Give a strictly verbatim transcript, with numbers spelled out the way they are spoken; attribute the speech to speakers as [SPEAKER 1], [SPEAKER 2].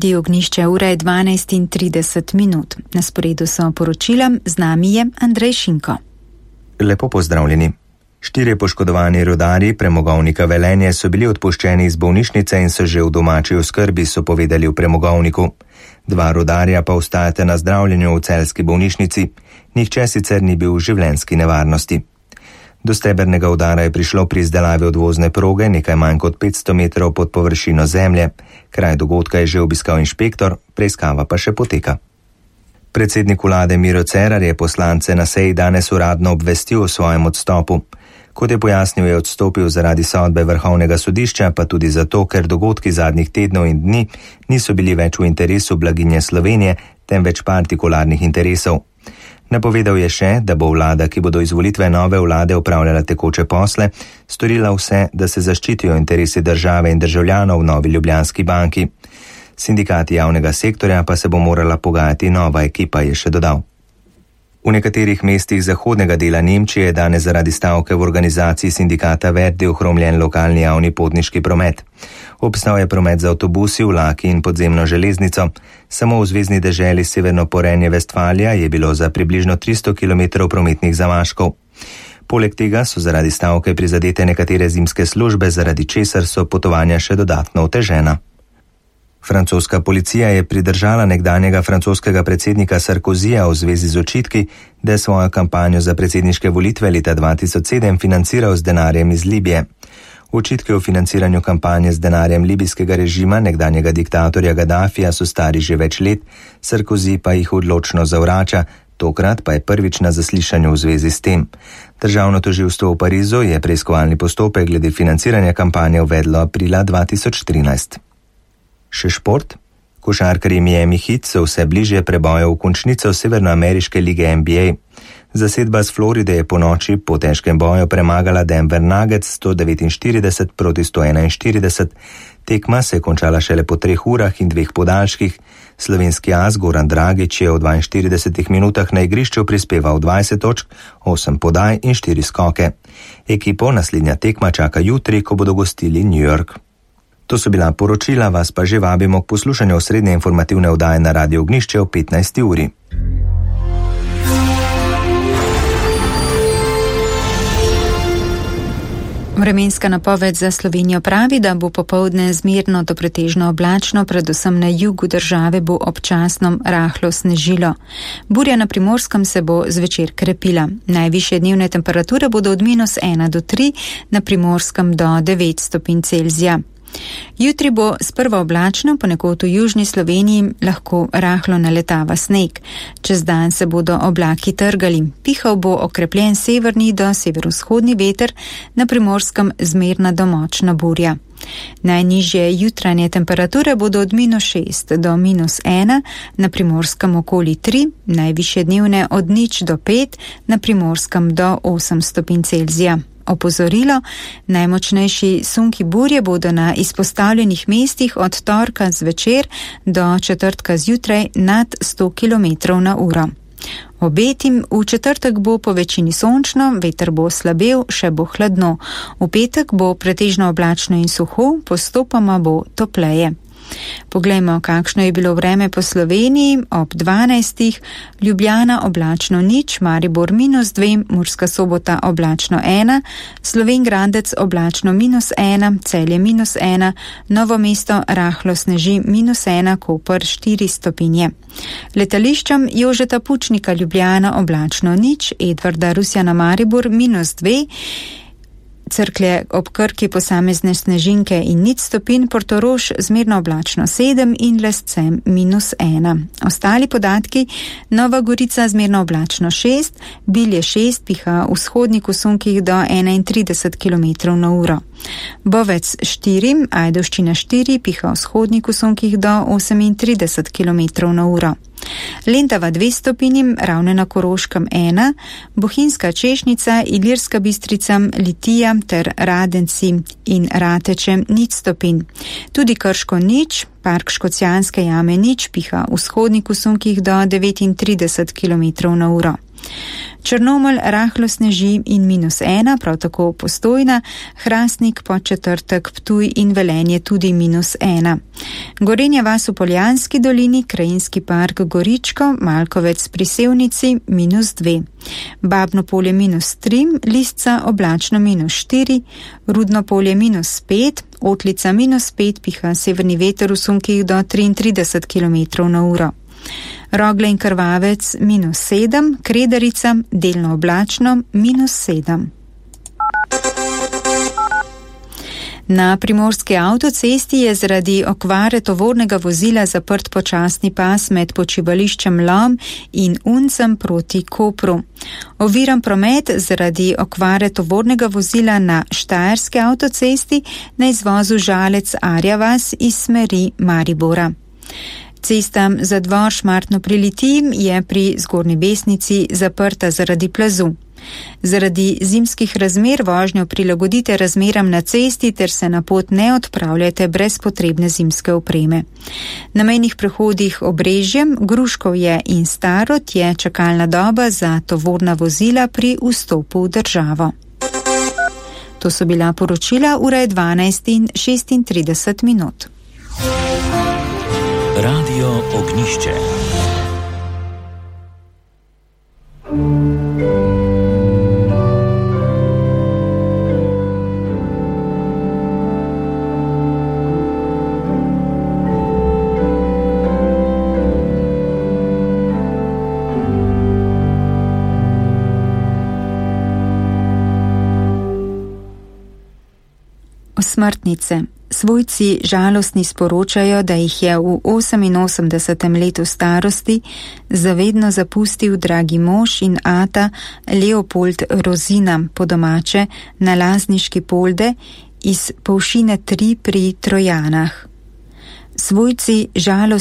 [SPEAKER 1] Dio Ognjišče, ura je dvanajst in trideset minut. Na sporedu so poročila, z nami je Andrej Šinko.
[SPEAKER 2] Lepo pozdravljeni. Štirje poškodovani rudarji premogovnika Velenje so bili odpuščeni iz bolnišnice in so že v domači oskrbi, so povedali v premogovniku. Dva rudarja pa ostajate na zdravljenju v celjski bolnišnici. Nihče sicer ni bil v življenjski nevarnosti. Do stebernega udara je prišlo pri izdelavi odvozne proge nekaj manj kot petsto metrov pod površino zemlje. Kraj dogodka je že obiskal inšpektor, preiskava pa še poteka. Predsednik vlade Miro Cerar je poslance na seji danes uradno obvestil o svojem odstopu. Kot je pojasnil, je odstopil zaradi sodbe Vrhovnega sodišča, pa tudi zato, ker dogodki zadnjih tednov in dni niso bili več v interesu blaginje Slovenije, temveč partikularnih interesov. Napovedal je še, da bo vlada, ki bo do izvolitve nove vlade upravljala tekoče posle, storila vse, da se zaščitijo interesi države in državljanov v Novi Ljubljanski banki. Sindikati javnega sektorja pa se bo morala pogajati nova ekipa, je še dodal. V nekaterih mestih zahodnega dela Nemčije je danes zaradi stavke v organizaciji sindikata Verdi ohromljen lokalni javni potniški promet. Obstal je promet z avtobusi, vlaki in podzemno železnico. Samo v zvezni deželi Severno Porenje-Vestfalija je bilo za približno tristo kilometrov prometnih zamaškov. Poleg tega so zaradi stavke prizadete nekatere zimske službe, zaradi česar so potovanja še dodatno otežena. Francoska policija je pridržala nekdanjega francoskega predsednika Sarkozija v zvezi z očitki, da je svojo kampanjo za predsedniške volitve leta dva tisoč sedem financiral z denarjem iz Libije. Očitki o financiranju kampanje z denarjem libijskega režima nekdanjega diktatorja Gaddafija so stari že več let, Sarkozy pa jih odločno zavrača, tokrat pa je prvič na zaslišanju v zvezi s tem. Državno tožilstvo v Parizu je preiskovalni postopek glede financiranja kampanje uvedlo aprila dva tisoč trinajst. Še šport? Košarkarji Miami Heat so vse bližje preboju v končnico severnoameriške lige N B A. Zasedba z Floride je po noči po težkem boju premagala Denver Nuggets sto devetinštirideset proti sto enainštirideset. Tekma se je končala šele po treh urah in dveh podaljških. Slovenski as Goran Dragić je v dvainštiridesetih minutah na igrišču prispeval dvajset točk, osem podaj in štiri skoke. Ekipo naslednja tekma čaka jutri, ko bodo gostili New York. To so bila poročila, vas pa že vabimo k poslušanju osrednje informativne oddaje na Radio Ognjišče o petnajsti uri.
[SPEAKER 1] Vremenska napoved za Slovenijo pravi, da bo popoldne zmerno do pretežno oblačno, predvsem na jugu države bo občasno rahlo snežilo. Burja na Primorskem se bo zvečer krepila. Najvišje dnevne temperature bodo od minus ena do tri, na Primorskem do devet stopinj Celzija. Jutri bo sprva oblačno, ponekod v južni Sloveniji lahko rahlo naletava sneg. Čez dan se bodo oblaki trgali. Pihal bo okrepljen severni do severovzhodni veter, na Primorskem zmerna do močna burja. Najnižje jutranje temperature bodo od minus šest do minus ena, na Primorskem okoli tri, najvišje dnevne od nič do pet, na Primorskem do osem stopinj Celzija. Opozorilo, najmočnejši sunki burje bodo na izpostavljenih mestih od torka zvečer do četrtka zjutraj nad sto kilometrov na uro. Obetim, v četrtek bo po večini sončno, veter bo slabel, še bo hladno. V petek bo pretežno oblačno in suho, postopoma bo topleje. Poglejmo, kakšno je bilo vreme po Sloveniji ob dvanajstih. Ljubljana oblačno nič, Maribor minus dve, Murska Sobota oblačno ena, Slovenj Gradec oblačno minus ena, Celje minus ena, Novo mesto rahlo sneži minus ena, Koper štiri stopinje. Letališčem Jožeta Pučnika Ljubljana oblačno nič, Edvarda Rusjana Maribor minus dve, Cerklje ob Krki posamezne snežinke in nič stopinj, Portorož zmerno oblačno sedem in Lescem minus ena. Ostali podatki, Nova Gorica zmerno oblačno šest, Bilje šest, piha v vzhodnih usunkih do enaintrideset kilometrov na uro. Bovec štiri, Ajdovščina štiri, piha v vzhodnih usunkih do osemintrideset kilometrov na uro. Lendava dve stopinji, Ravne na Koroškem ena, Bohinjska Češnica, Ilirska Bistrica, Litija ter Radenci in Rateče nič stopinj. Tudi Krško nič, Park Škocjanske jame nič, piha v vzhodnih usunkih do devetintrideset kilometrov na uro. Črnomelj rahlo sneži in minus ena, prav tako Postojna, Hrastnik, Podčetrtek, Ptuj in Velenje tudi minus ena. Gorenja vas v Poljanski dolini, Krajinski park Goričko, Malkovec pri Sevnici minus dve. Babno polje minus tri, Listca oblačno minus štiri, Rudno polje minus pet, Otlica minus pet, piha severni veter v sunkih do triintrideset kilometrov na uro. Rogle in Krvavec minus sedem, Kredarica delno oblačno minus sedem. Na primorski avtocesti je zaradi okvare tovornega vozila zaprt počasni pas med počivališčem Lom in Uncem proti Kopru. Oviran promet zaradi okvare tovornega vozila na Štajerski avtocesti na izvozu Žalec Arjavas iz smeri Maribora. Cesta za Dvor Šmartno pri Litiji je pri Zgornji Besnici zaprta zaradi plazu. Zaradi zimskih razmer vožnjo prilagodite razmeram na cesti ter se na pot ne odpravljate brez potrebne zimske opreme. Na mejnih prehodih Obrežjem, Gruškovje in Starod je čakalna doba za tovorna vozila pri vstopu v državo. To so bila poročila, ura je dvanajst in šestintrideset minut.
[SPEAKER 3] Radio Ognišče.
[SPEAKER 1] Osmrtnice. Svojci žalostni sporočajo, da jih je v oseminosemdesetem letu starosti zavedno zapustil dragi mož in ata Leopold Rozina, po domače na Lazniški polde iz Povšine tri pri Trojanah. Svojci žalostni